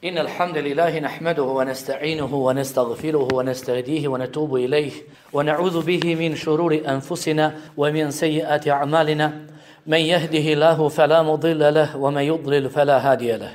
إن الحمد لله نحمده ونستعينه ونستغفره ونستهديه ونتوب إليه ونعوذ به من شرور أنفسنا ومن سيئات أعمالنا من يهده الله فلا مضل له ومن يضلل فلا هادي له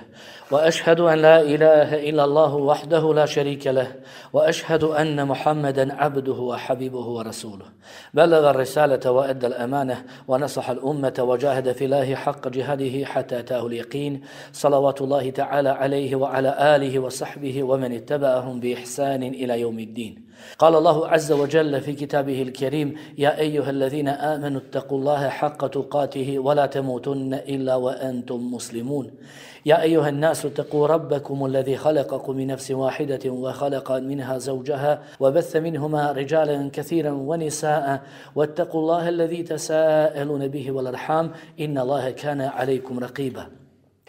وأشهد أن لا إله إلا الله وحده لا شريك له وأشهد أن محمدا عبده وحبيبه ورسوله بلغ الرسالة وأدى الأمانة ونصح الأمة وجاهد في الله حق جهاده حتى أتاه اليقين صلوات الله تعالى عليه وعلى آله وصحبه ومن اتبعهم بإحسان إلى يوم الدين قال الله عز وجل في كتابه الكريم يا أيها الذين آمنوا اتقوا الله حق تقاته ولا تموتن إلا وأنتم مسلمون يا أيها الناس اتقوا ربكم الذي خلقكم من نفس واحدة وخلق منها زوجها وبث منهما رجالا كثيرا ونساء واتقوا الله الذي تساءلون به والأرحام إن الله كان عليكم رقيبا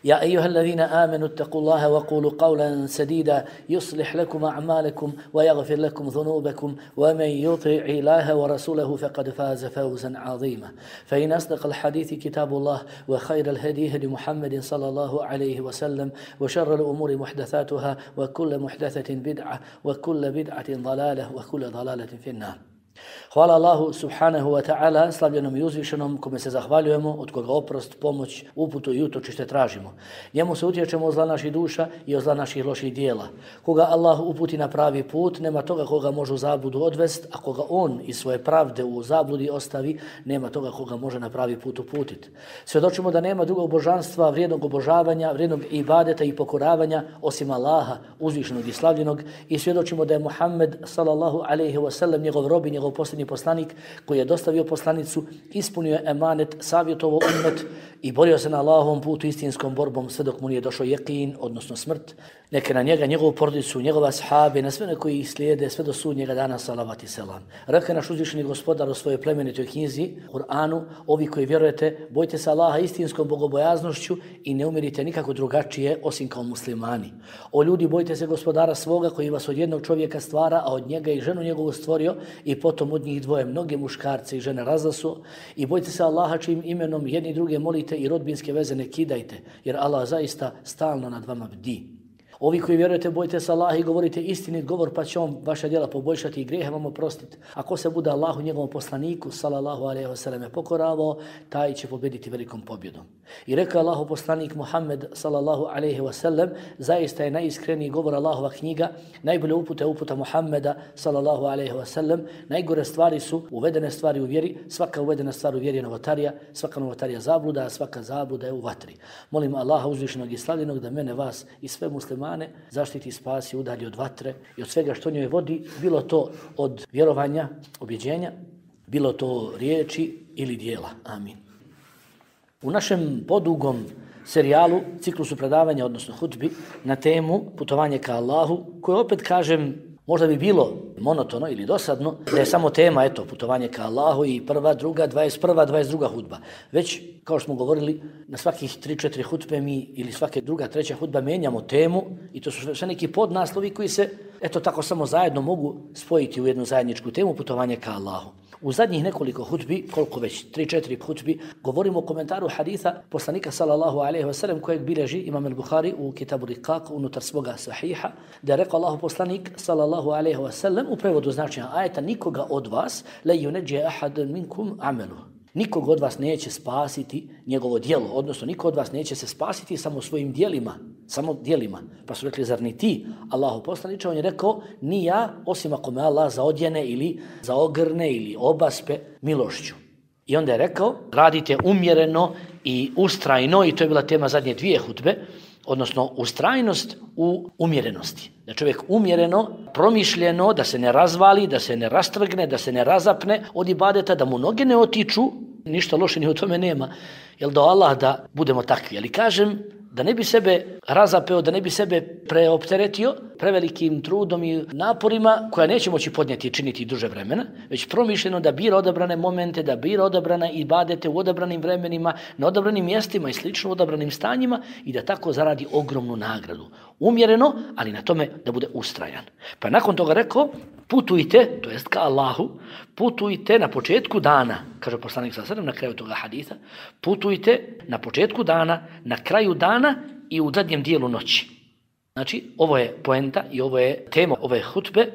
يا أيها الذين آمنوا اتقوا الله وقولوا قولا سديدا يصلح لكم أعمالكم ويغفر لكم ذنوبكم ومن يطع الله ورسوله فقد فاز فوزا عظيما فإن أصدق الحديث كتاب الله وخير الهدي هدي محمد صلى الله عليه وسلم وشر الأمور محدثاتها وكل محدثة بدعة وكل بدعة ضلالة وكل ضلالة في النار. Hvala Allahu subhanahu wa ta'ala, slavljenom i uzvišenom, kome se zahvaljujemo, od koga oprost, pomoć, uputu i utočište tražimo. Njemu se utječemo od zla naših duša i od zla naših loših dijela. Koga Allah uputi na pravi put, nema toga koga može u zabludu odvest, a koga on iz svoje pravde u zabludi ostavi, nema toga koga može na pravi put uputiti. Svjedočimo da nema drugog božanstva, vrijednog obožavanja, vrijednog ibadeta i pokoravanja, osim Allaha, uzvišenog i slavljenog, i svjedočimo da je Muhammed sallallahu alejhi ve sellem njegov rob i njegov posljednji poslanik koji je dostavio poslanicu, ispunio emanet, savjetovao ummet i borio se na Allahovom putu istinskom borbom sve dok mu nije došao jeqin, odnosno smrt. Neke na njega, njegovu porodicu, njegova ashabe, na sve koji ih slijede sve do sudnjega dana salavat i selam. Rekao je naš uzvišeni gospodar u svojoj plemenitoj knjizi, Kur'anu, ovi koji vjerujete, bojte se Allaha istinskom bogobojaznošću i ne umirite nikako drugačije osim kao muslimani. O ljudi, bojte se gospodara svoga koji vas od jednog čovjeka stvara, a od njega i ženu njegovu stvorio i potom od njih dvoje mnoge muškarce i žene razlasu. I bojte se Allaha čijim imenom jedni druge molite i rodbinske veze ne kidajte, jer Allah zaista stalno nad vama bdi. Ovi koji vjerujete, bojte se Allaha i govorite istinit govor, pa će on vaša djela poboljšati i grijehe vam oprostiti. Ako se bude Allahu njegovom poslaniku sallallahu alejhi ve selleme pokoravao, taj će pobjediti velikom pobjedom. I rekao Allahu poslanik Muhammed sallallahu alejhi ve sellem, zaista je najiskreniji govor Allahova knjiga, najbolje uputa Muhammeda sallallahu alejhi ve sellem, najgore stvari su uvedene stvari u vjeri, svaka uvedena stvar u vjeri je novotarija, svaka novotarija zabluda, a svaka zabluda je u vatri. Molim Allaha uzvišenog i slavljenog da mene, vas i sve muslimane zaštiti, spasi, udalji od vatre i od svega što njoj vodi, bilo to od vjerovanja, objeđenja, bilo to riječi ili dijela. Amin. U našem podugom serijalu, ciklusu predavanja, odnosno hutbi, na temu putovanje ka Allahu, koje opet kažem, možda bi bilo monotono ili dosadno da je samo tema, putovanje ka Allahu i prva, druga, 21, 22 hudba. Već, kao što smo govorili, na svakih 3-4 hutbe mi ili svake druga, treća hudba menjamo temu i to su sve neki podnaslovi koji se, tako samo zajedno mogu spojiti u jednu zajedničku temu, putovanje ka Allahu. U zadnjih nekoliko hutbi, koliko već, 3-4 hutbi, govorimo o komentaru haditha poslanika sallallahu alejhi ve sellem kojeg bilježi Imam al-Bukhari u Kitabu Riqaq unutar svoga sahiha, da je rekao Allahu poslanik sallallahu alejhi ve sellem u prevodu značenja ajeta: nikoga od vas la yunajji ahadan minkum amalu. Nikog od vas neće spasiti njegovo djelo, odnosno niko od vas neće se spasiti samo svojim djelima, samo djelima. Pa su rekli, zar ni ti, Allahu poslaniče? On je rekao, ni ja, osim ako me Allah zaodjene ili zaogrne ili obaspe milošću. I onda je rekao, radite umjereno i ustrajno, i to je bila tema zadnje dvije hutbe, odnosno ustrajnost u umjerenosti. Da čovjek umjereno, promišljeno, da se ne razvali, da se ne rastrgne, da se ne razapne od ibadeta, da mu noge ne otiču, ništa loše ni u tome nema, jel da Allah da budemo takvi. Ali kažem, da ne bi sebe razapeo, da ne bi sebe preopteretio prevelikim trudom i naporima koja neće moći podnijeti i činiti duže vremena, već promišljeno da bira odabrane momente, da bira odabrane ibadete u odabranim vremenima, na odabranim mjestima i slično odabranim stanjima i da tako zaradi ogromnu nagradu. Umjereno, ali na tome da bude ustrajan. Pa nakon toga rekao, putujte, to jest ka Allahu, putujte na početku dana, kaže poslanik sallallahu alejhi ve sellem na kraju toga hadisa, putujte na početku dana, na kraju dana i u zadnjem dijelu noći. Znači, ovo je poenta i ovo je tema ove hutbe.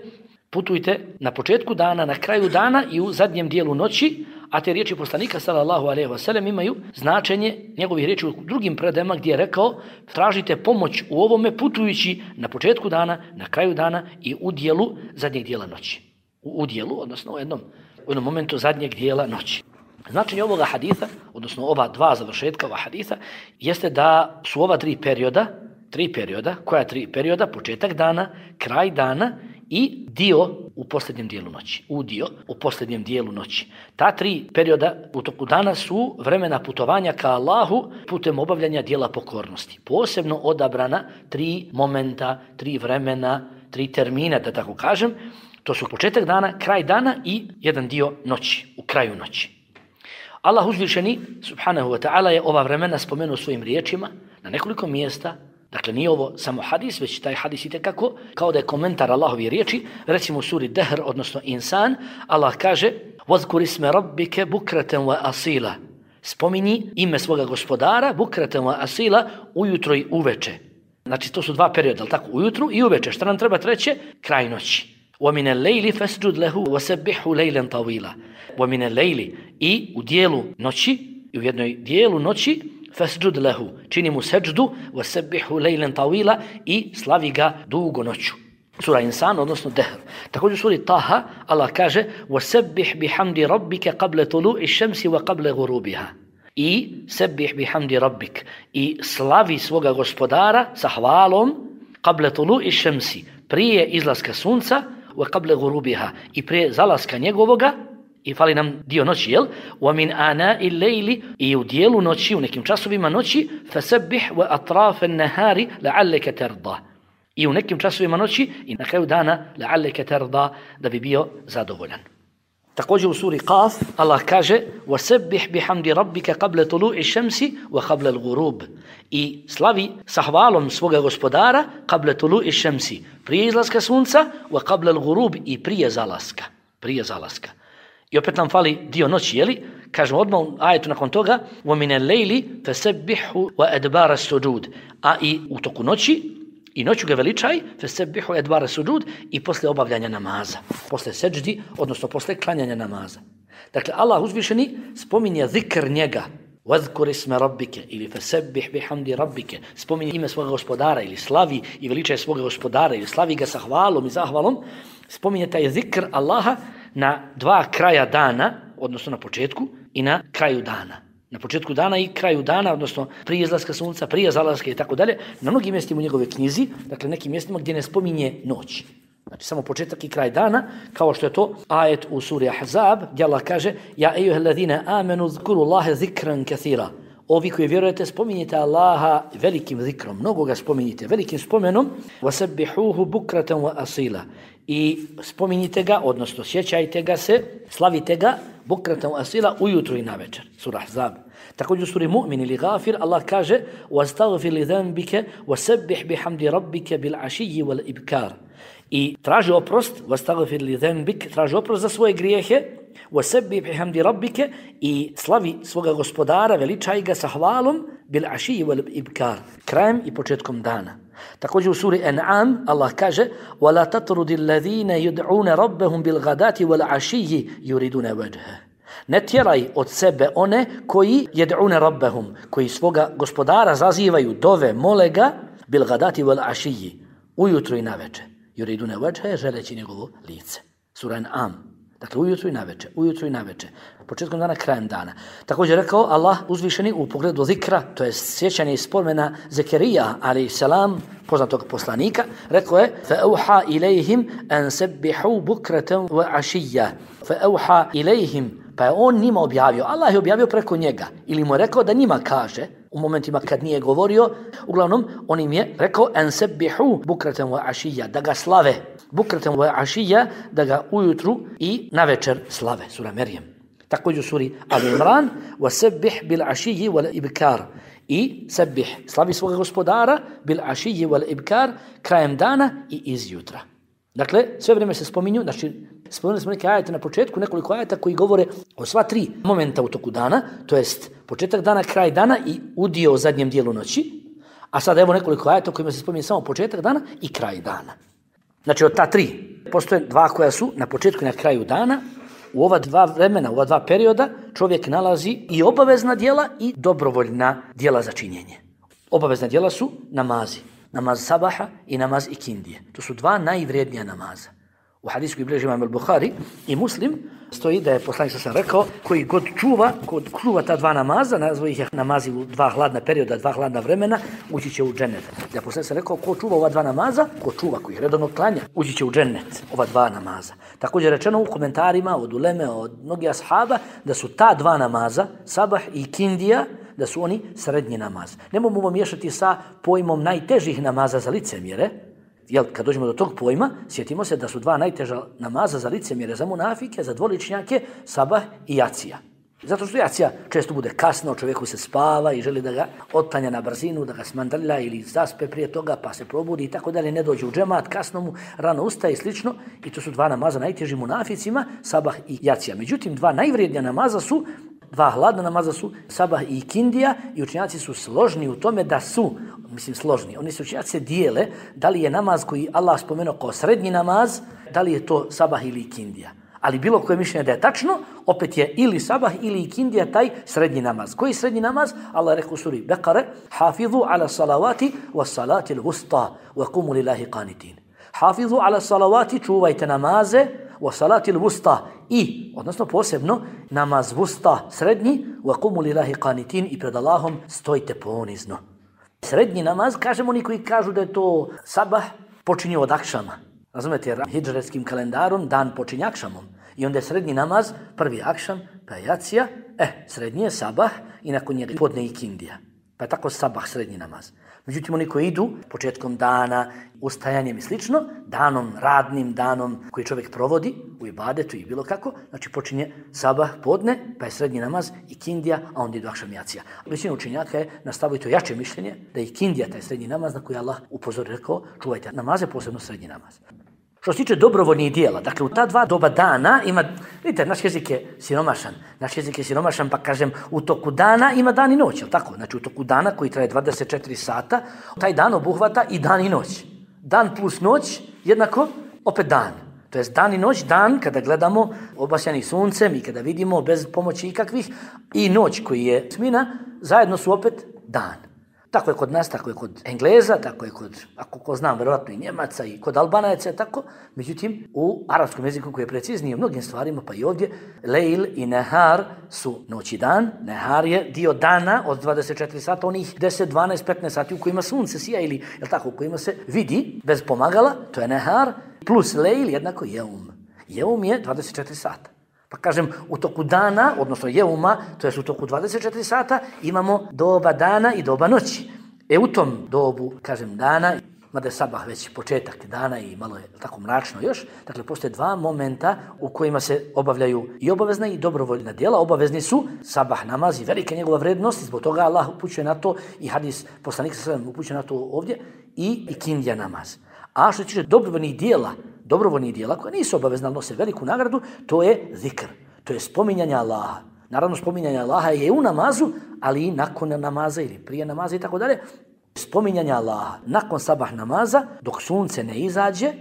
Putujte na početku dana, na kraju dana i u zadnjem dijelu noći, a te riječi poslanika sallallahu alejhi ve sellem imaju značenje njegovih riječi u drugim predajama gdje je rekao tražite pomoć u ovome putujući na početku dana, na kraju dana i u dijelu zadnjeg dijela noći. U dijelu, odnosno u jednom momentu zadnjeg dijela noći. Značenje ovoga haditha, odnosno ova dva završetka ova haditha, jeste da su ova tri perioda, koja tri perioda, početak dana, kraj dana i dio u posljednjem dijelu noći. Udio u posljednjem dijelu noći. Ta tri perioda u toku dana su vremena putovanja ka Allahu putem obavljanja dijela pokornosti. Posebno odabrana tri momenta, tri vremena, tri termina, da tako kažem. To su početak dana, kraj dana i jedan dio noći, u kraju noći. Allah uzvišeni, subhanahu wa ta'ala, je ova vremena spomenuo svojim riječima na nekoliko mjesta. Dakle, nije ovo samo hadis, već taj hadis itekako, kao da je komentar Allahovi riječi, recimo u suri Dehr, odnosno Insan, Allah kaže وَذْكُرِ اسْمَ رَبِّكَ بُكْرَةً وَأَصِيلًا Spominji ime svoga gospodara, بُكْرَةً وَأَصِيلًا, ujutro i uveče. Znači, to su dva perioda, ali tako, ujutru i uveče. Šta nam treba treće? Kraj noći. وَمِنَ اللَّيْلِ فَسْجُدْ لَهُ وَسَبِّحُ لَيْلًا طَوِيلًا وَمِنَ اللَّيْلِ I u dijelu noći, i u jednoj dijelu noći, fasjud lahu, čini mu seđdu, wasabbihu lejlen tawila i slavi ga dugo noću. Sura Insan, odnosno Dehr. Također u suri Taha, Allah kaže wasabbih bihamdi rabbika qabla tulu'i shamsi wa qabla ghurubiha. I sabbih bihamdi rabbik. I slavi svoga gospodara sa hvalom qabla tulu'i shamsi, prije izlaska sunca, wa qabla ghurubiha, i prije zalaska njegovoga. I fali nam dio noći, jel? وَمِنْ آنَاءِ اللَّيْلِ I u dijelu noći, u nekim časovima noći, فَسَبِّحْ وَأَطْرَافَ النَّهَارِ لَعَلَّكَ تَرْضَى I u nekim časovima noći i na kraju dana لَعَلَّكَ تَرْضَى da bi bio zadovoljan. Također u suri Qaf Allah kaže وَسَبِّحْ بِحَمْدِ رَبِّكَ قَبْلَ طُلُوعِ الشَّمْسِ وَقَبْلَ الْغُرُوبِ I slavi sa hvalom svoga gospodara قَبْلَ طُلُوعِ الشَّمْسِ prije izlaska sunca وَقَبْلَ الْغُرُوبِ i prije zalaska. I opet nam fali dio noći, jeli? Kažemo odmah u ajetu nakon toga وَمِنَ اللَّيْلِ فَسَبِّحُ وَأَدْبَارَ السُّجُودِ A i u toku noći, i noću ga veličaj, فَسَبِّحُ وَأَدْبَارَ السُّجُودِ I posle obavljanja namaza, posle seđdi, odnosno posle klanjanja namaza. Dakle, Allah uzvišeni spominje zikr njega, وَذْكُرِ اسْمَ رَبِّكَ ili فَسَبِّحْ بِحَمْدِ رَبِّكَ spominje ime svoga gospodara ili slavi i veličaj svoga gospodara ili slavi ga sa hvalom i zahvalom, spominje taj zikr Allaha na dva kraja dana, odnosno na početku i na kraju dana. Na početku dana i kraju dana, odnosno prije izlaska sunca, prije zalaska i tako dalje, na mnogim mjestima u njegove knjizi, dakle nekim mjestima gdje ne spominje noć. Znači samo početak i kraj dana, kao što je to ajet u suri Ahzab, gdje Allah kaže Ja ejuhellazina amenu zkuru Allahe zikran kathira. Ovi koji vjerujete, spominjite Allaha velikim zikrom, mnogo ga spominjite, velikim spomenom, wasabbihuhu bukratan wa asila. I spominjite ga, odnosno sjećajte ga se, slavite ga, bukratan wa asila, ujutru i navečer. Sura Ahzab. Također u suri Mu'min ili Ghafir, Allah kaže وَاسْتَغْفِرْ لِذَنْبِكَ وَسَبِّحْ بِحَمْدِ رَبِّكَ بِالْعَشِيِّ وَالْإِبْكَارِ I traži oprost, وَاسْتَغْفِرْ لِذَنْبِكَ, traži oprost za svoje grijehe, وَسَبِّحْ بِحَمْدِ رَبِّكَ i slavi svoga gospodara, veličaj ga sa hvalom, بِالْعَشِيِّ وَالْإِبْكَارِ krajem i početkom dana. Također u suri An'am Allah kaže وَلَا تَطْرُدِ الَّذِينَ يُدْعُونَ رَبَّهُمْ بِالْغَدَاتِ وَالْعَشِيِّ يُرِدُونَ وَجْهَهُ Ne tjeraj od sebe one koji jed'une rabbahum, koji svoga gospodara zazivaju, dove, mole ga, bil gadati wal ašiji, ujutru i naveče. Yuridune vajhe, želeći njegovo lice. Sura An'am. Dakle, ujutru i naveče. Početkom dana, krajem dana. Također rekao Allah uzvišeni u pogledu zikra, to je sjećanje i spomena Zekerija, alaih salam, poznatog poslanika, rekao je فَأَوْحَا إِلَيْهِمْ أَنْ سَبِّحُوا بُكْرَةً وَعَشِيًّا فَأَوْحَا إِلَيْهِمْ Pa je on njima objavio, Allah je objavio preko njega, ili mu je rekao da njima kaže, u momentima kad nije govorio, uglavnom on im je rekao أَنْ سَبِّحُوا بُكْرَةً وَعَشِيًّا da ga slave, bukratan wa ašija, da ga ujutru i navečer slave, sura Merjem. Također u suri Al-Imran, وَسَبِّحْ بِالْعَشِيِّ وَالْإِبْكَارِ i sebih, slavi svoga gospodara, bil-ašiji wal-ibkar, krajem dana i izjutra. Dakle, sve vrijeme se spominju, znači, spomenuli smo neke ajete na početku, nekoliko ajeta koji govore o sva tri momenta u toku dana, to jest početak dana, kraj dana i udio u zadnjem dijelu noći, A sad evo nekoliko ajeta kojima se spominje samo početak dana i kraj dana. Znači od ta 3, postoje 2 koja su na početku i na kraju dana. U ova 2 vremena, u ova 2 perioda čovjek nalazi i obavezna djela i dobrovoljna djela za činjenje. Obavezna djela su namazi. Namaz sabaha i namaz ikindije. To su 2 najvrijednija namaza. U hadisu koji bilježi imam al-Buhari i Muslim stoji da je poslanik sam rekao koji god čuva ta 2 namaza, nazvao ih je namazi u 2 hladna perioda, 2 hladna vremena, ući će u džennet. Ja poslanik sam rekao ko čuva ova 2 namaza, ko čuva, koji ih redovno klanja, ući će u džennet, ova 2 namaza. Također rečeno u komentarima od uleme, od mnogih ashaba, da su ta 2 namaza, sabah i ikindija, da su oni srednji namaz. Nemojmo miješati sa pojmom najtežih namaza za licemjere. Jel, kad dođemo do tog pojma, sjetimo se da su 2 najteža namaza za licemjere, za munafike, za dvoličnjake, sabah i jacija. Zato što jacija često bude kasno, čovjeku se spava i želi da ga otklanja na brzinu, da ga smandrlja ili zaspe prije toga pa se probudi i tako dalje, ne dođe u džemat, kasno mu rano ustaje i slično. I to su 2 namaza najteži munaficima, sabah i jacija. Međutim, 2 najvrijednija namaza su 2 hladna namaza su sabah i ikindija i učenjaci su složni u tome da su, složni, oni se učenjaci dijele da li je namaz koji Allah spomenuo kao srednji namaz, da li je to sabah ili ikindija. Ali bilo koje mišljenje da je tačno, opet je ili sabah ili ikindija taj srednji namaz. Koji srednji namaz? Allah rekao u suri Bekare, hafizu ala salavati wa salati l-vusta wa kumu lillahi qanitin. Hafizu ala salavati, čuvajte namaze, wa salati l-vusta i, odnosno posebno, namaz vusta srednji, wa kumu lillahi qanitin i pred Allahom stojite ponizno. Srednji namaz, kažemo oni koji kažu da je to sabah, počinje od akšama. Razumete, jer hidžretskim kalendarom dan počinje akšamom. I onda je srednji namaz, prvi akšam, pa je jacija, srednji je sabah i nakon njega podne ikindija. Pa je tako sabah srednji namaz. Međutim, oni koji idu početkom dana, ustajanjem i slično, danom, radnim danom koji čovjek provodi u ibadetu i bilo kako, znači počinje sabah podne, pa je srednji namaz ikindija, a onda idu akšam jacija. Većina učenjaka je nastavio to jače mišljenje da je ikindija taj srednji namaz na koji Allah upozori rekao čuvajte namaze, posebno srednji namaz. Što se tiče dobrovoljnih dijela, dakle u ta 2 doba dana ima, vidite, naš jezik je siromašan, pa kažem u toku dana ima dan i noć, je li tako? Znači u toku dana koji traje 24 sata, taj dan obuhvata i dan i noć. Dan plus noć jednako opet dan. To jest dan i noć, dan kada gledamo obasjani suncem i kada vidimo bez pomoći ikakvih i noć koji je smina, zajedno su opet dan. Tako je kod nas, tako je kod Engleza, tako je kod, ako ko znam, verovatno i Njemaca i kod Albanaca, tako. Međutim, u arapskom jeziku koji je precizniji u mnogim stvarima, pa i ovdje, lejl i nehar su noć i dan. Nehar je dio dana od 24 sata, onih 10, 12, 15 sati u kojima sunce sija ili, jel tako, u kojima se vidi bez pomagala, to je nehar, plus lejl jednako jeum. Jeum je 24 sata. Pa kažem, u toku dana, odnosno jeuma, to je u toku 24 sata, imamo doba dana i doba noći. U tom dobu, kažem, dana, mada je sabah već početak dana i malo je tako mračno još, dakle, postoje 2 momenta u kojima se obavljaju i obavezna i dobrovoljna djela. Obavezni su sabah namaz i velika njegova vrednost, zbog toga Allah upućuje na to i hadis poslanika sallallahu upućuje na to ovdje i ikindija namaz. A što se tiče dobrovoljnih dijela koja nisu obavezna, ali nose veliku nagradu, to je zikr, to je spominjanje Allaha. Naravno, spominjanje Allaha je u namazu, ali i nakon namaza ili prije namaza i tako dalje. Spominjanje Allaha nakon sabah namaza dok sunce ne izađe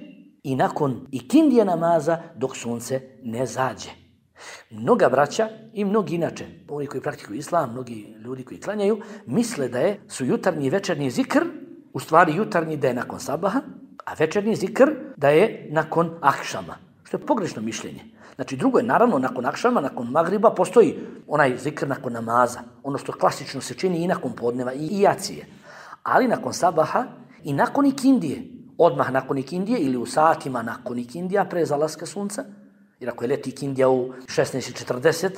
i nakon ikindije namaza dok sunce ne zađe. Mnoga braća i mnogi inače, oni koji praktikuju islam, mnogi ljudi koji klanjaju, misle da su jutarnji i večernji zikr, u stvari jutarnji da je nakon sabaha, a večernji zikr da je nakon akšama, što je pogrešno mišljenje. Znači drugo je naravno nakon akšama, nakon magriba postoji onaj zikr nakon namaza, ono što klasično se čini i nakon podneva i jacije. Ali nakon sabaha i nakon ikindije, odmah nakon ikindije ili u satima nakon ikindija pre zalaska sunca, jer ako je leti ikindija u 16:40,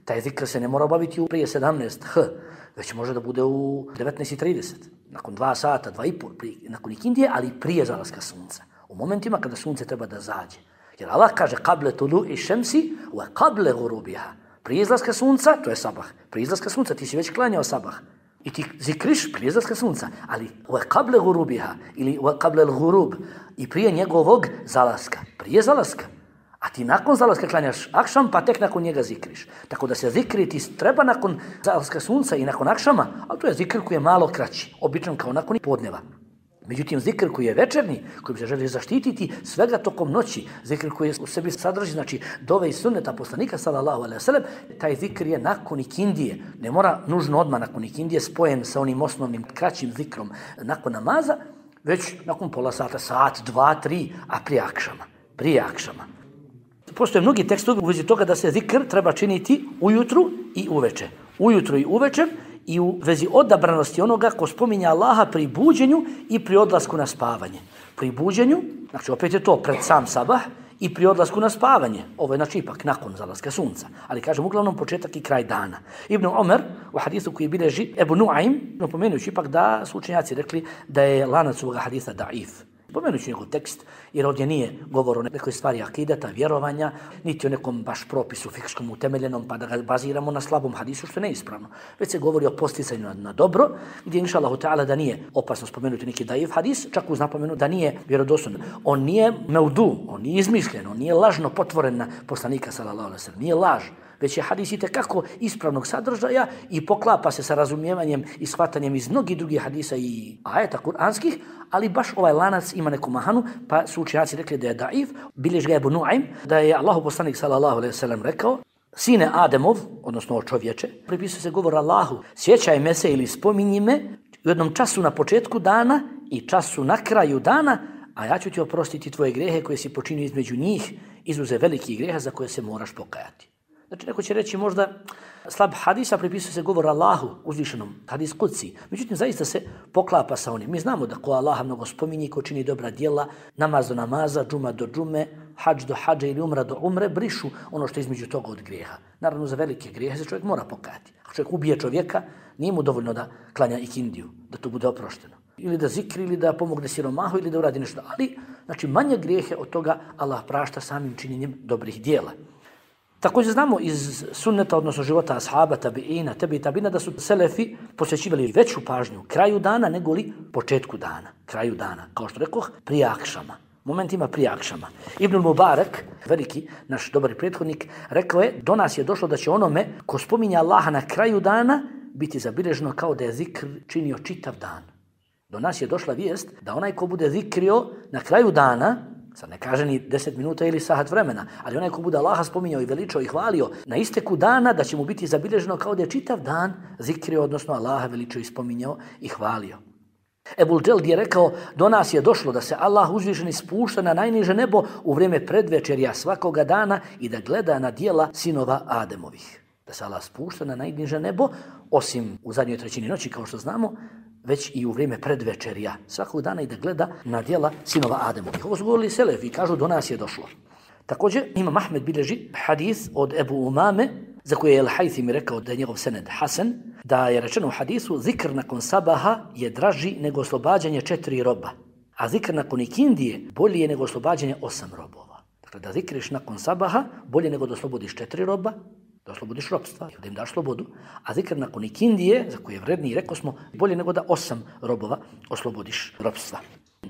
taj zikr se ne mora obaviti u prije 17h, već može da bude u 19:30, nakon 2 sata, 2,5, nakon ikindije, ali prije zalaska sunca. U momentima kada sunce treba da zađe. Jer Allah kaže kable tulu'i šemsi wa kable gurubiha. Prije izlaska sunca, to je sabah. Prije izlaska sunca, ti si već klanjao sabah. I ti zikriš prije izlaska sunca. Ali wa kable gurubiha ili wa kable l'gurub i prije njegovog zalaska. Prije zalaska. A ti nakon zalaska klanjaš akšam, pa tek nakon njega zikriš. Tako da se zikri ti treba nakon zalaska sunca i nakon akšama, ali to je zikr koji je malo kraći, obično kao nakon podneva. Međutim, zikr koji je večernji, kojim se želi zaštititi svega tokom noći, zikr koji u sebi sadrži, znači dove i sunneta poslanika sallallahu alejhi ve sellem, taj zikr je nakon ikindije. Ne mora nužno odmah nakon ikindije spojen sa onim osnovnim kraćim zikrom nakon namaza, već nakon pola sata, sat, 2, 3, a prije akšama. Postoje mnogi tekstovi u vezi toga da se zikr treba činiti ujutru i uveče. Ujutru i uvečer i u vezi odabranosti onoga ko spominja Allaha pri buđenju i pri odlasku na spavanje. Pri buđenju, znači opet je to pred sam sabah, i pri odlasku na spavanje. Ovo je znači ipak nakon zalaska sunca. Ali kažem uglavnom početak i kraj dana. Ibn Omer u hadisu koji bilježi Ebu Nuaym, napomenujući ipak da su učenjaci rekli da je lanac ovoga hadisa daif. Pomenući njegov tekst, jer ovdje nije govor o nekoj stvari akidata, vjerovanja, niti o nekom baš propisu fikskom utemeljenom, pa da ga baziramo na slabom hadisu, što je neispravno. Već se govori o posticanju na dobro, gdje inša Allahu ta'ala da nije opasno spomenuti neki daif hadis, čak uz napomenu da nije vjerodostojan. On nije meudu, on nije izmišljen, on nije lažno potvoren na poslanika sallallahu alejhi ve sellem, nije laž. Već je hadis itekako ispravnog sadržaja i poklapa se sa razumijevanjem i shvatanjem iz mnogih drugih hadisa i ajeta kuranskih, ali baš ovaj lanac ima neku mahanu, pa su učenjaci rekli da je daif. Bilježi ga Ebu Nuaym, da je Allahu poslanik sallallahu alejhi ve sellem rekao: sine Ademov, odnosno čovječe, pripisuje se govor Allahu, sjećaj me se ili spominji me u jednom času na početku dana i času na kraju dana, a ja ću ti oprostiti tvoje grehe koje si počinio između njih, izuzev velikih greha za koje se moraš pokajati. Znači, neko će reći možda slab hadisa pripisuje se govor Allahu uzvišenom, hadis kudsi. Međutim, zaista se poklapa sa onim. Mi znamo da ko Allaha mnogo spominje, ko čini dobra djela, namaz do namaza, džuma do džume, hadž do hadža ili umra do umre, brišu ono što je između toga od grijeha. Naravno, za velike grijehe se čovjek mora pokajati. Ako čovjek ubije čovjeka, nije mu dovoljno da klanja ikindiju, da to bude oprošteno. Ili da zikri, ili da pomogne siromahu, ili da uradi nešto. Ali, znači, manje grijehe od toga Allah prašta samim činjenjem dobrih djela. Također znamo iz sunneta, odnosno života ashaba, tabiina, tabina, da su selefi posvećivali veću pažnju kraju dana nego li početku dana. Kraju dana, kao što rekoh, prije akšama. Momentima prije akšama. Ibn Mubarak, veliki naš dobar prethodnik, rekao je: do nas je došlo da će onome ko spominja Allaha na kraju dana biti zabilježeno kao da je zikr činio čitav dan. Do nas je došla vijest da onaj ko bude zikrio na kraju dana, sad ne kaže ni 10 minuta ili sat vremena, ali onaj ko bude Allaha spominjao i veličao i hvalio na isteku dana, da će mu biti zabilježeno kao da je čitav dan zikrio, odnosno Allaha veličao i spominjao i hvalio. Ebul Dželd je rekao: do nas je došlo da se Allah uzvišeni spušta na najniže nebo u vrijeme predvečerja svakoga dana i da gleda na djela sinova Ademovih. Da se Allah spušta na najniže nebo, osim u zadnjoj trećini noći, kao što znamo, već i u vrijeme predvečerja svakog dana i da gleda na djela sinova Ademovih. Ovo su govorili selefi i kažu: do nas je došlo. Također Imam Ahmed bilježi hadis od Ebu Umame, za koje je Al-Haythimi rekao da je njegov sened hasan, da je rečeno u hadisu: zikr nakon sabaha je draži nego oslobađanje 4 roba, a zikr nakon ikindije bolji je nego oslobađanje 8 robova. Dakle, da zikriš nakon sabaha bolje nego da oslobodiš 4 roba, da oslobodiš robstva, da im daš slobodu, a zikr nakon ikindije, za koje je vredniji, rekao smo, bolje nego da 8 robova oslobodiš robstva.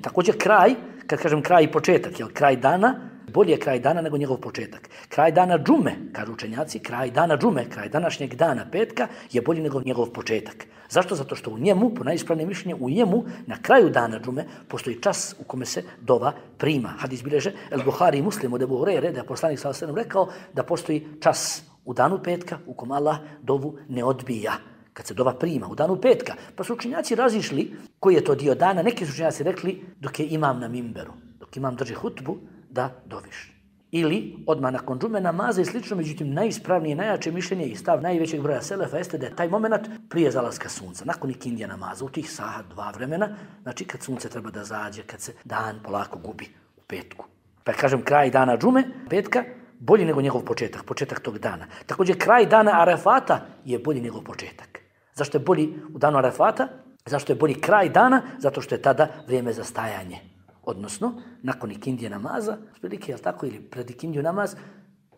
Također kraj, kad kažem kraj i početak, je kraj dana, bolje je kraj dana nego njegov početak. Kraj dana džume, kažu učenjaci, kraj dana džume, kraj današnjeg dana petka je bolji nego njegov početak. Zašto? Zato što u njemu, po najispravnijem mišljenju, u njemu na kraju dana džume postoji čas u kome se dova prima. Hadis bilježe El Buhari i Muslim od Ebu Hurajre, da je poslanik sallallahu alejhi ve sellem rekao da postoji čas u danu petka u kom Allah dovu ne odbija, kad se dova prima u danu petka. Pa su učenjaci razišli koji je to dio dana. Neki su učenjaci rekli dok je imam na mimberu, dok imam drži hutbu, da doviš. Ili odmah nakon džume namaza i slično, međutim najispravnije, najjače mišljenje i stav najvećeg broja selefa jeste da je taj moment prije zalaska sunca, nakon ikindija namaza, u tih sahat 2 vremena, znači kad sunce treba da zađe, kad se dan polako gubi u petku. Pa kažem kraj dana džume, petka, bolji nego njegov početak tog dana. Također kraj dana Arefata je bolji nego početak. Zašto je bolji u danu Arefata? Zašto je bolji kraj dana? Zato što je tada vrijeme za stajanje. Odnosno, nakon ikindije namaza, prilike, jel tako, ili pred ikindiju namaz,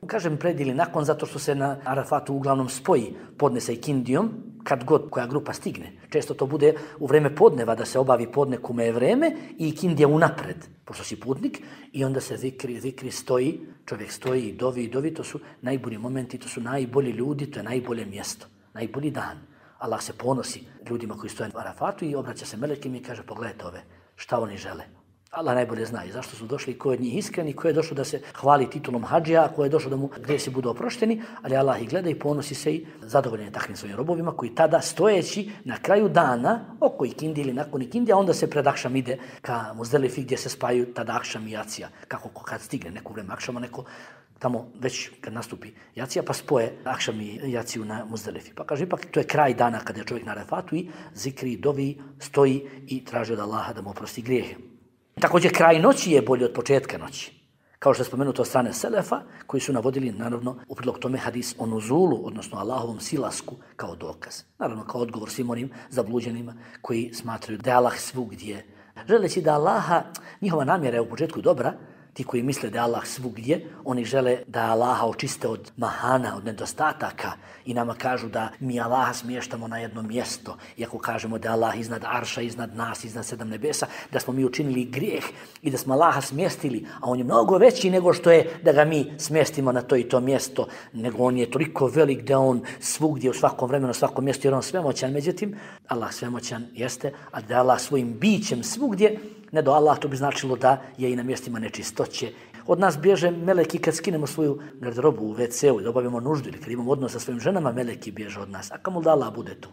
kažem pred ili nakon, zato što se na Arefatu uglavnom spoji podne sa ikindijom, kad god koja grupa stigne. Često to bude u vreme podneva, da se obavi podne kome je vreme i ikindija unapred, pošto si putnik, i onda se zikri stoji, čovjek stoji i dovi, to su najbolji momenti, to su najbolji ljudi, to je najbolje mjesto, najbolji dan. Allah se ponosi ljudima koji stoje na Arafatu i obraća se melekima i kaže pogledajte ove, šta oni žele. Allah najbolje zna i zašto su došli, ko je od njih iskren i ko je došao da se hvali titulom hadžija, ko je došao da mu grijesi budu oprošteni, ali Allah ih gleda i ponosi se i zadovoljen je takvim svojim robovima koji tada stojeći na kraju dana, oko ikindi ili nakon ikindija, onda se pred akšam ide ka Muzdelifi gdje se spajaju tada akšam i jacija, kako kad stigne neko vreme akšama, neko tamo već kad nastupi jacija, pa spoje akšam i jaciju na Muzdelifi. Pa kaže, ipak to je kraj dana kada je čovjek na Arafatu i zikri, dovi, stoji i traži od Allaha da mu oprosti grijehe. Također, kraj noći je bolji od početka noći. Kao što je spomenuto od strane Selefa, koji su navodili, naravno, u prilog tome hadis o nuzulu, odnosno Allahovom silasku, kao dokaz. Naravno, kao odgovor svim onim zabluđenima koji smatraju da je Allah svugdje. Želeći da Allaha, njihova namjera je u početku dobra, ti koji misle da je Allah svugdje, oni žele da Allaha očiste od mahana, od nedostataka i nama kažu da mi Allaha smještamo na jedno mjesto. Iako kažemo da je Allah iznad arša, iznad nas, iznad 7 nebesa, da smo mi učinili grijeh i da smo Allaha smjestili, a on je mnogo veći nego što je da ga mi smjestimo na to i to mjesto, nego on je toliko velik da on svugdje, u svakom vremenu, u svakom mjestu, jer on svemoćan. Međutim, Allah svemoćan jeste, a da je Allah svojim bićem svugdje, ne do Allah, to bi značilo da je i na mjestima nečistoće. Od nas bježe meleki kad skinemo svoju garderobu u WC-u i da obavimo nuždu ili kad imamo odnos sa svojim ženama, meleki bježe od nas. A kamo da Allah bude tu?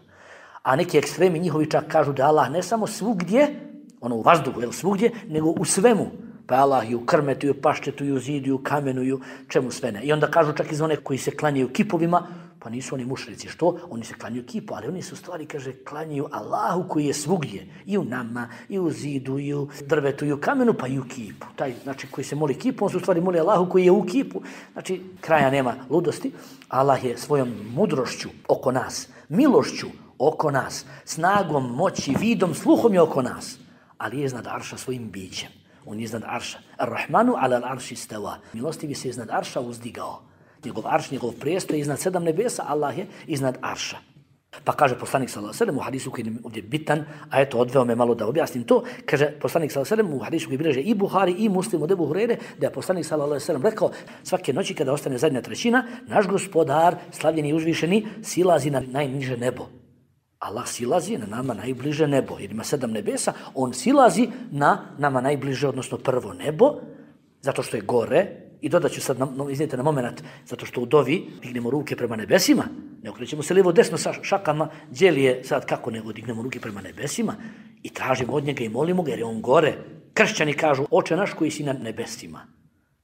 A neki ekstremi njihovi čak kažu da Allah ne samo svugdje, ono u vazduhu, jel svugdje, nego u svemu. Pa Allah i u krmetu, i u paštetu, i u zidu, i u kamenu, i u čemu sve ne. I onda kažu čak iz one koji se klanjaju kipovima, pa nisu oni mušrici. Što? Oni se klanjaju kipu, ali oni su stvari, kaže, klanjaju Allahu koji je svugdje. I u nama, i u zidu, i u drvetu, i u kamenu, pa i u kipu. Taj, znači, koji se moli kipu, on su stvari moli Allahu koji je u kipu. Znači, kraja nema ludosti. Allah je svojom mudrošću oko nas, milošću oko nas, snagom, moći, vidom, sluhom je oko nas. Ali je iznad arša svojim bićem. On je iznad arša. Ar-Rahmanu ala al-arši stava. Milostivi se iznad arša uzdigao. Njegov arš, njegov prijestol je iznad 7 nebesa, Allah je iznad arša. Pa kaže poslanik sallallahu alejhi ve sellem u hadisu koji je ovdje bitan, a eto odveo me malo da objasnim to, kaže poslanik sallallahu alejhi ve sellem u hadisu koji bilježe i Buhari i Muslim od Ebu Hurajre, da je poslanik sallallahu alejhi ve sellem rekao svake noći kada ostane zadnja trećina, naš gospodar, slavljeni i uzvišeni, silazi na najniže nebo. Allah silazi na nama najbliže nebo, jer ima 7 nebesa, on silazi na nama najbliže, odnosno prvo nebo, zato što je gore. I dodat ću sad, iznijete na moment, zato što u dovi dignemo ruke prema nebesima, ne okrećemo se lijevo desno sa šakama, djeli je sad kako nego dignemo ruke prema nebesima i tražimo od njega i molimo ga jer je on gore. Kršćani kažu, Oče naš koji si na nebesima.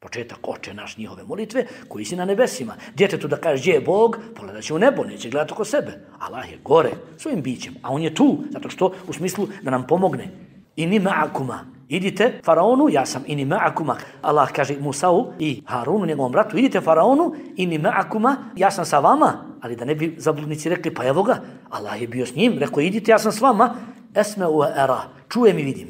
Početak Oče naš njihove molitve koji si na nebesima. Djetetu da kaže gdje je Bog, pogledat će u nebo, neće gledati oko sebe. Allah je gore svojim bićem, a on je tu, zato što u smislu da nam pomogne. Inni ma'akuma. Idite faraonu, ja sam inni ma'akuma. Allah kaže Musau i Harunu, njegovom bratu, idite faraonu, inni ma'akuma, ja sam sa vama. Ali da ne bi zabludnici rekli, pa evo ga, Allah je bio s njim, rekao idite, ja sam s vama. Esme u era, čujem i vidim.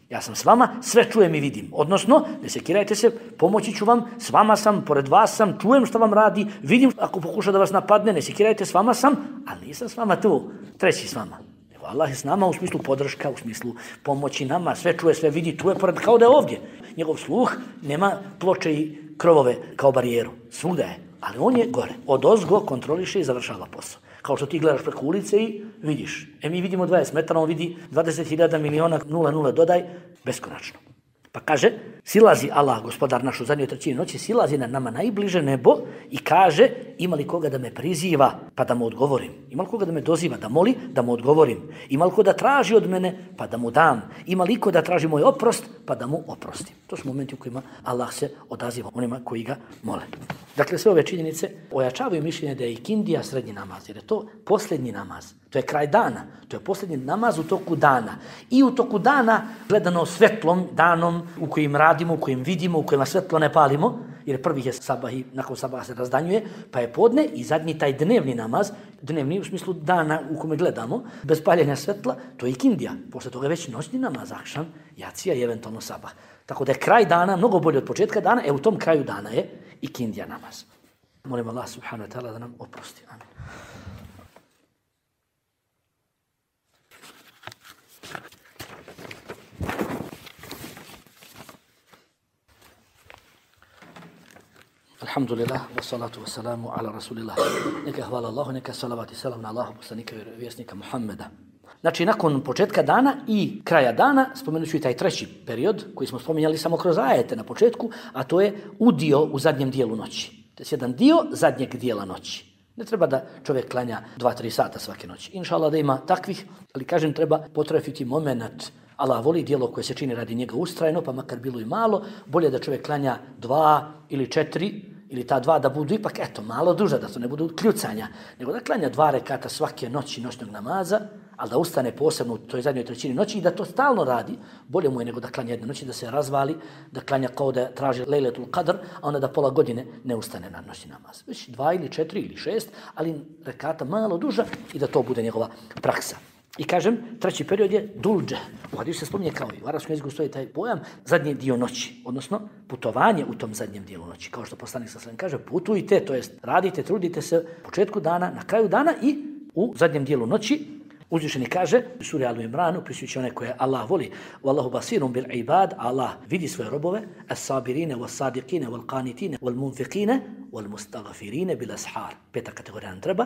Ja sam s vama, sve čujem i vidim. Odnosno, ne sekirajte se, pomoći ću vam, s vama sam, pored vas sam, čujem što vam radi, vidim ako pokuša da vas napadne, ne sekirajte, s vama sam, ali nisam s vama tu, treći s vama. Allah je s nama u smislu podrška, u smislu pomoći nama, sve čuje, sve vidi, tu je pored, kao da je ovdje. Njegov sluh nema ploče i krovove kao barijeru, svugda je, ali on je gore. Odozgo kontroliše i završava posao. Kao što ti gledaš preko ulice i vidiš. Mi vidimo 20 metara, on vidi 20.000 miliona 00 dodaj, beskonačno. Pa kaže, silazi Allah, gospodar naš u zadnjoj trećini noći, silazi na nama najbliže nebo i kaže, ima li koga da me priziva, pa da mu odgovorim? Ima li koga da me doziva, da moli, da mu odgovorim? Ima li ko da traži od mene, pa da mu dam? Ima li ko da traži moj oprost, pa da mu oprostim? To su momenti u kojima Allah se odaziva onima koji ga mole. Dakle, sve ove činjenice ojačavaju mišljenje da je ikindija srednji namaz, jer je to posljednji namaz. To je kraj dana, to je posljednji namaz u toku dana. I u toku dana, gledano svetlom, danom u kojim radimo, u kojim vidimo, u kojima svetlo ne palimo, jer prvi je sabah i nakon sabaha se razdanjuje, pa je podne i zadnji taj dnevni namaz, dnevni u smislu dana u kome gledamo, bez paljenja svetla, to je ikindija. Posle toga je već noćni namaz, akšam, jacija i eventualno sabah. Tako da je kraj dana mnogo bolje od početka dana, u tom kraju dana je ikindija namaz. Molim Allah subhanahu wa ta'ala da nam oprosti. Amin. Alhamdulillah, wassalatu wassalamu ala rasulillah. Neka hvala Allahu, neka salavat i salam na Allahu poslanika i vjesnika Muhammeda. Znači, nakon početka dana i kraja dana, spomenut ću i taj treći period koji smo spominjali samo kroz ajete na početku, a to je udio u zadnjem dijelu noći. To je jedan dio zadnjeg dijela noći. Ne treba da čovjek klanja 2-3 sata svake noći. Inša Allah da ima takvih, ali kažem treba potrefiti moment. Allah voli dijelo koje se čini radi njega ustrajno, pa makar bilo i malo, bolje da čovjek klanja 2 ili 4, ili ta 2 da budu ipak, malo duže, da to ne budu kljucanja, nego da klanja 2 rekata svake noći noćnog namaza, ali da ustane posebno u toj zadnjoj trećini noći i da to stalno radi, bolje mu je nego da klanja jedne noći, da se razvali, da klanja kao da traži Lejletul Qadr, a onda da pola godine ne ustane na noćni namaz. Već 2 ili 4 ili 6, ali rekata malo duža i da to bude njegova praksa. I kažem, treći period je dulđe. U hadisu se spominje kao i u arapskom jeziku stoji taj pojam zadnji dio noći, odnosno putovanje u tom zadnjem dijelu noći. Kao što poslanik sallallahu alejhi ve sellem kaže, putujte, to jest radite, trudite se u početku dana, na kraju dana i u zadnjem dijelu noći. Uzvišeni kaže u suri Al Imran, opisujući one koje Allah voli, Wallahu basirun bil ibad, Allah vidi svoje robove, as-sabirine, was-sadiqine, wal-qanitine, wal-munfiqine, wal-mustaghfirine bil ashar. 5. kategorija nam treba.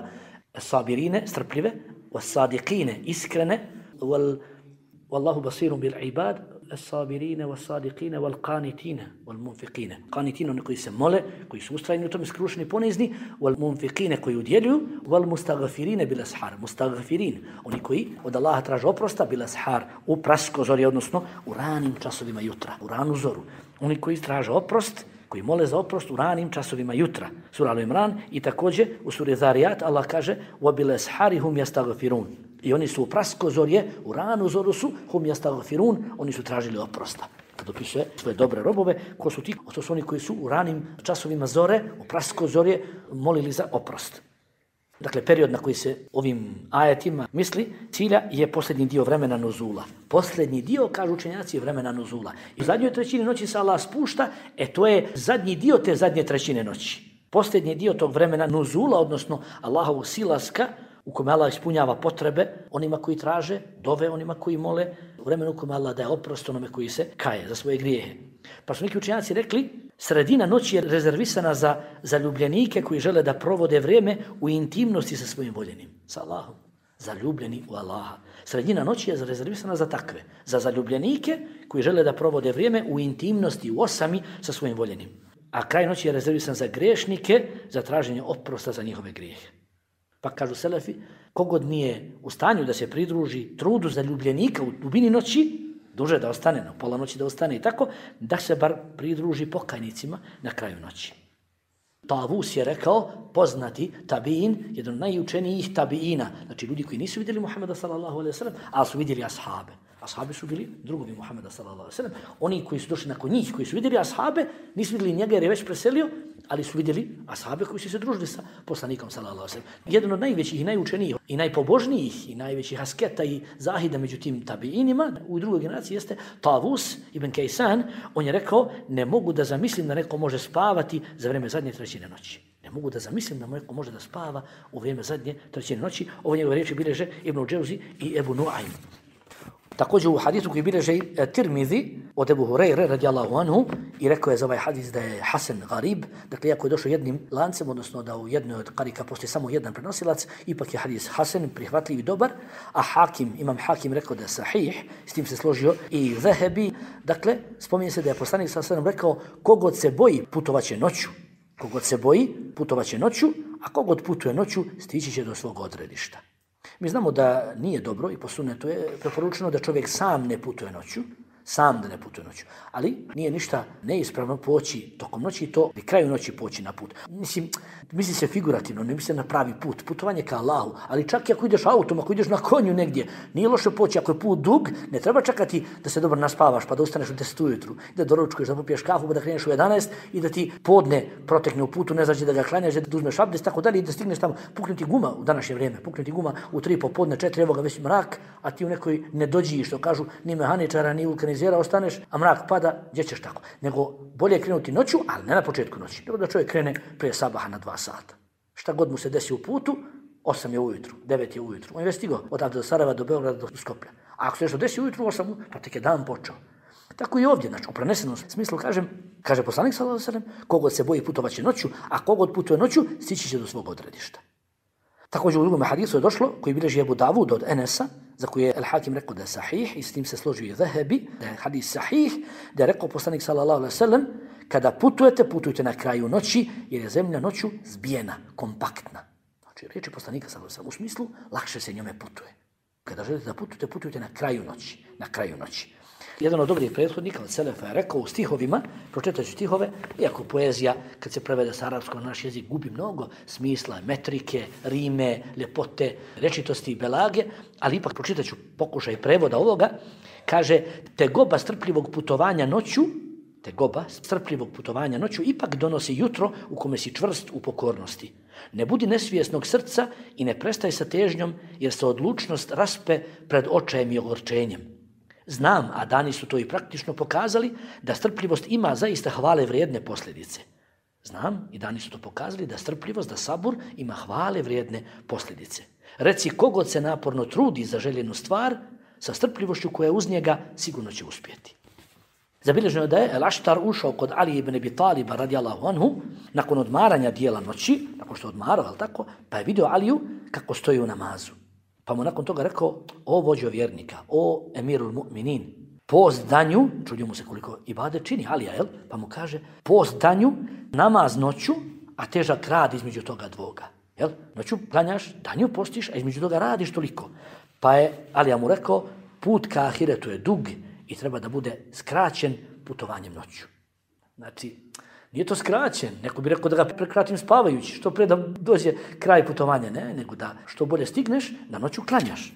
As-sabirine, strpljive, was-sadiqine, iskrene, Wallahu basirun bil ibad, as-sabirine, was-sadiqine, wal-qanitine, wal-munfiqine. Qanitine, oni koji se mole, koji su ustrajni u tome, skrušeni, ponizni, wal-munfiqine, koji udjeljuju, wal-mustaghfirine bil ashar. Mustaghfirin, oni koji od Allaha traže oprosta, bil ashar, u praskozori, odnosno u ranim časovima jutra, u ranu zoru. Oni koji traže oprost, koji mole za oprost u ranim časovima jutra. Sura Al Imran i također u suri Zariyat Allah kaže وَبِلَ أَسْحَارِهُمْ يَسْتَغْفِرُونَ. I oni su u praskozorje, u ranu zoru su hum yastaghfirun, oni su tražili oprosta. Kad opisuje svoje dobre robove, ko su ti? To su oni koji su u ranim časovima zore, u praskozorje molili za oprost. Dakle, period na koji se ovim ajetima misli, cilja je posljednji dio vremena nuzula. Posljednji dio, kažu učenjaci, je vremena nuzula. I u zadnjoj trećini noći se Allah spušta, to je zadnji dio te zadnje trećine noći. Posljednji dio tog vremena nuzula, odnosno Allahovog silaska, u kome Allah ispunjava potrebe onima koji traže, dove onima koji mole, u vremenu u kome Allah daje oprost onome koji se kaje za svoje grijehe. Pa su neki učenjaci rekli, sredina noći je rezervisana za zaljubljenike koji žele da provode vrijeme u intimnosti sa svojim voljenim, sa Allahom. Zaljubljeni u Allaha. Sredina noći je rezervisana za takve, za zaljubljenike koji žele da provode vrijeme u intimnosti, u osami sa svojim voljenim. A kraj noći je rezervisan za grešnike, za traženje oprosta za njihove grijehe. Pa kažu selefi, kogod nije u stanju da se pridruži trudu zaljubljenika u dubini noći, duže da ostane, na pola noći da ostane i tako, da se bar pridruži pokajnicima na kraju noći. Tavus je rekao, poznati tabiin, jedan od najučenijih tabiina, znači ljudi koji nisu vidjeli Muhammeda sallallahu alejhi ve sellem, ali su vidjeli ashabe. Ashabi su bili drugovi Muhammeda sallallahu alejhi ve sellem. Oni koji su došli nakon njih, koji su vidjeli ashabe, nisu vidjeli njega jer je već preselio, ali su vidjeli ashabe koji su se družili sa poslanikom sallallahu alejhi ve sellem. Jedan od najvećih i najučenijih i najpobožnijih i najvećih asketa i zahida među tim tabiinima u drugoj generaciji jeste Tavus ibn Kaysan. On je rekao, ne mogu da zamislim da neko može spavati za vrijeme zadnje trećine noći. Ne mogu da zamislim da neko može da spava u vrijeme zadnje trećine noći. Ovo njegove riječi bileže Ibn Dževzi i Ebu Nuaym. Također u hadisu koji bileže Tirmizi od Ebu Hurajre radijallahu anhu i rekao je za ovaj hadis da je Hasan Garib, dakle iako je došao jednim lancem, odnosno da u jednoj od karika postoji samo jedan prenosilac, ipak je hadis Hasan, prihvatljiv i dobar, a Imam Hakim rekao da je sahih, s tim se složio i Zahebi. Dakle, spominje se da je poslanik sallallahu alejhi ve sellem rekao, kogod se boji putovaće noću, kogod se boji putovaće noću, a kogod putuje noću stići će do svog odredišta. Mi znamo da nije dobro i po sunnetu je preporučeno da čovjek sam ne putuje noću, sam da ne putuje noću. Ali nije ništa neispravno poći tokom noći i to i kraju noći poći na put. Misli se figurativno, ne misli na pravi put. Putovanje ka Allahu, ali čak i ako ideš autom, ako ideš na konju negdje, nije loše poći. Ako je put dug, ne treba čekati da se dobro naspavaš pa da ustaneš u 10 ujutru, da doručkuješ, da popiješ kafu, pa da kreneš u 11 i da ti podne protekne u putu, ne znači da ga klanjaš, da uzmeš abdest, tako dalje i da stigneš tamo. Puknuti guma u današnje vrijeme, puknuti guma u 3 popodne, 4, evo ga već mrak, a ti u nekoj ne dođi, što kažu, ni mehaničara, ni vulkanizera ostaneš, a mrak pada, gdje ćeš tako? Nego bolje krenuti noću, ali ne na početku noći, nego da čovjek krene prije sabaha na 2 sata. Šta god mu se desi u putu, 8 je ujutru, 9 je ujutru. On je već stigao odavde do Sarajeva, do Beograda, do Skoplja. A ako se nešto desi ujutru, 8, pa tek je dan počeo. Tako i ovdje, znači u prenesenom smislu kaže poslanik sallallahu alejhi ve sellem, kogod se boji putovaće noću, a kogod putuje noću, stići će do svog odredišta. Također u drugom hadisu je došlo, koji bilježi Ebu Davud od Enesa, za koji je Al-Hakim rekao da je sahih i s tim se složio i Zahebi, da je hadis sahih, da je rekao poslanik sallallahu alejhi ve sellem, kada putujte na kraju noći, jer je zemlja noću zbijena, kompaktna. Znači, riječi poslanika sallallahu alejhi ve sellem u smislu, lakše se njome putuje. Kada želite da putujte na kraju noći. Jedan od dobrih prethodnika od Selefa je rekao u stihovima, pročitajući stihove, iako poezija, kad se prevede sa arapskog na naš jezik, gubi mnogo smisla, metrike, rime, ljepote, rečitosti i belage, ali ipak pročitaću pokušaj prevoda ovoga, kaže, tegoba strpljivog putovanja noću ipak donosi jutro u kome si čvrst u pokornosti. Ne budi nesvjesnog srca i ne prestaj sa težnjom, jer se odlučnost raspe pred očajem i ogorčenjem. Znam, a dani su to i praktično pokazali, da strpljivost ima zaista hvale vrijedne posljedice. Znam, i dani su to pokazali, da strpljivost, da sabur ima hvale vrijedne posljedice. Reci, kogod se naporno trudi za željenu stvar, sa strpljivošću koja je uz njega, sigurno će uspjeti. Zabilježeno je da je El-Aštar ušao kod Ali ibn Abi Taliba radijallahu anhu nakon odmaranja dijela noći, nakon što je odmarao, ali tako, pa je vidio Aliju kako stoji u namazu. Pa mu nakon toga rekao, o vođo vjernika, o emirul mu'minin, post danju, čudio mu se koliko ibadet čini Alija, jel? Pa mu kaže, post danju, namaz noću, a težak rad između toga dvoga. Jel? Noću klanjaš, danju postiš, a između toga radiš toliko. Pa je Alija mu rekao, put ka ahiretu je dug i treba da bude skraćen putovanjem noću. Znači, nije to skraćen, neko bi rekao da ga prekratim spavajući, što pre da dođe kraj putovanja, ne, nego da što bolje stigneš, da noću klanjaš.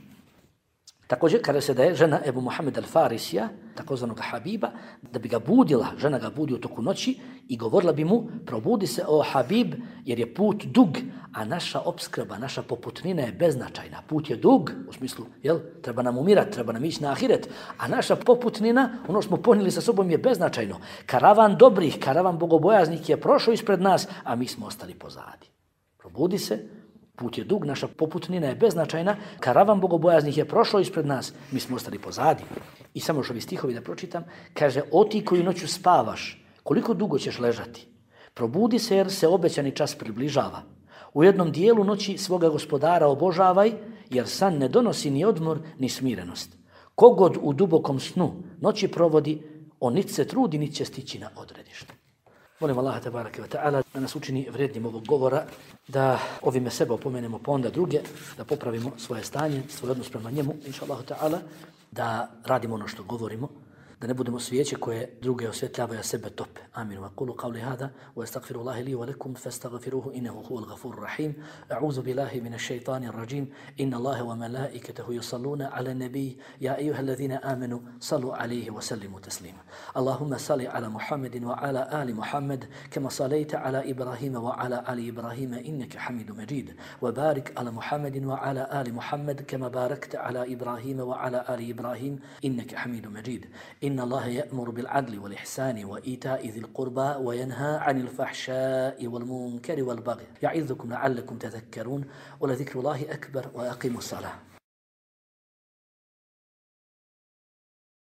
Također, kada se da je žena Ebu Muhammed al-Farisija, takozvanog Habiba, da bi ga budila, žena ga budi u toku noći i govorila bi mu, probudi se o Habib, jer je put dug, a naša opskrba, naša poputnina je beznačajna. Put je dug, u smislu, jel, treba nam umirati, treba nam ići na ahiret, a naša poputnina, ono smo ponijeli sa sobom, je beznačajno. Karavan dobrih, karavan bogobojaznih je prošao ispred nas, a mi smo ostali pozadi. Probudi se, put je dug, naša poputnina je beznačajna, karavan bogobojaznih je prošao ispred nas, mi smo ostali pozadi. I samo još ovi stihovi da pročitam, kaže, o ti koji noću spavaš, koliko dugo ćeš ležati? Probudi se jer se obećani čas približava. U jednom dijelu noći svoga gospodara obožavaj, jer san ne donosi ni odmor, ni smirenost. Kogod u dubokom snu noći provodi, on nit se trudi, nit će stići na odredište. Molim Allaha tebareke ve ta'ala da nas učini vrijednim ovog govora, da ovime sebe opomenemo pa onda druge, da popravimo svoje stanje, svoj odnos prema njemu, inša Allahu ta'ala, da radimo ono što govorimo, da ne budemo svijeće koje druge osvjetljavaju, a sebe tope. Amin. Wa qulu qawli hada wa astaghfirullaha li wa lakum fastaghfiruhu innahu huwal ghafurur rahim. A'udhu billahi minash shaitanir rajim. Inna Allaha wa malaikatahu yusalluna 'alan nabiy ya ayyuhalladhina amanu sallu 'alayhi wa sallimu taslima. Allahumma salli 'ala Muhammadin wa 'ala ali Muhammad kama sallaita 'ala Ibrahima wa 'ala ali Ibrahima innaka Hamidum Majid. Wa barik 'ala Muhammadin wa 'ala ali Muhammad kama barakta 'ala Ibrahima wa 'ala ali Ibrahim innaka Hamidum Majid. إن الله يأمر بالعدل والإحسان وإيتاء ذي القربى وينهى عن الفحشاء والمنكر والبغي يعظكم لعلكم تذكرون ولذكر الله أكبر وأقيموا الصلاة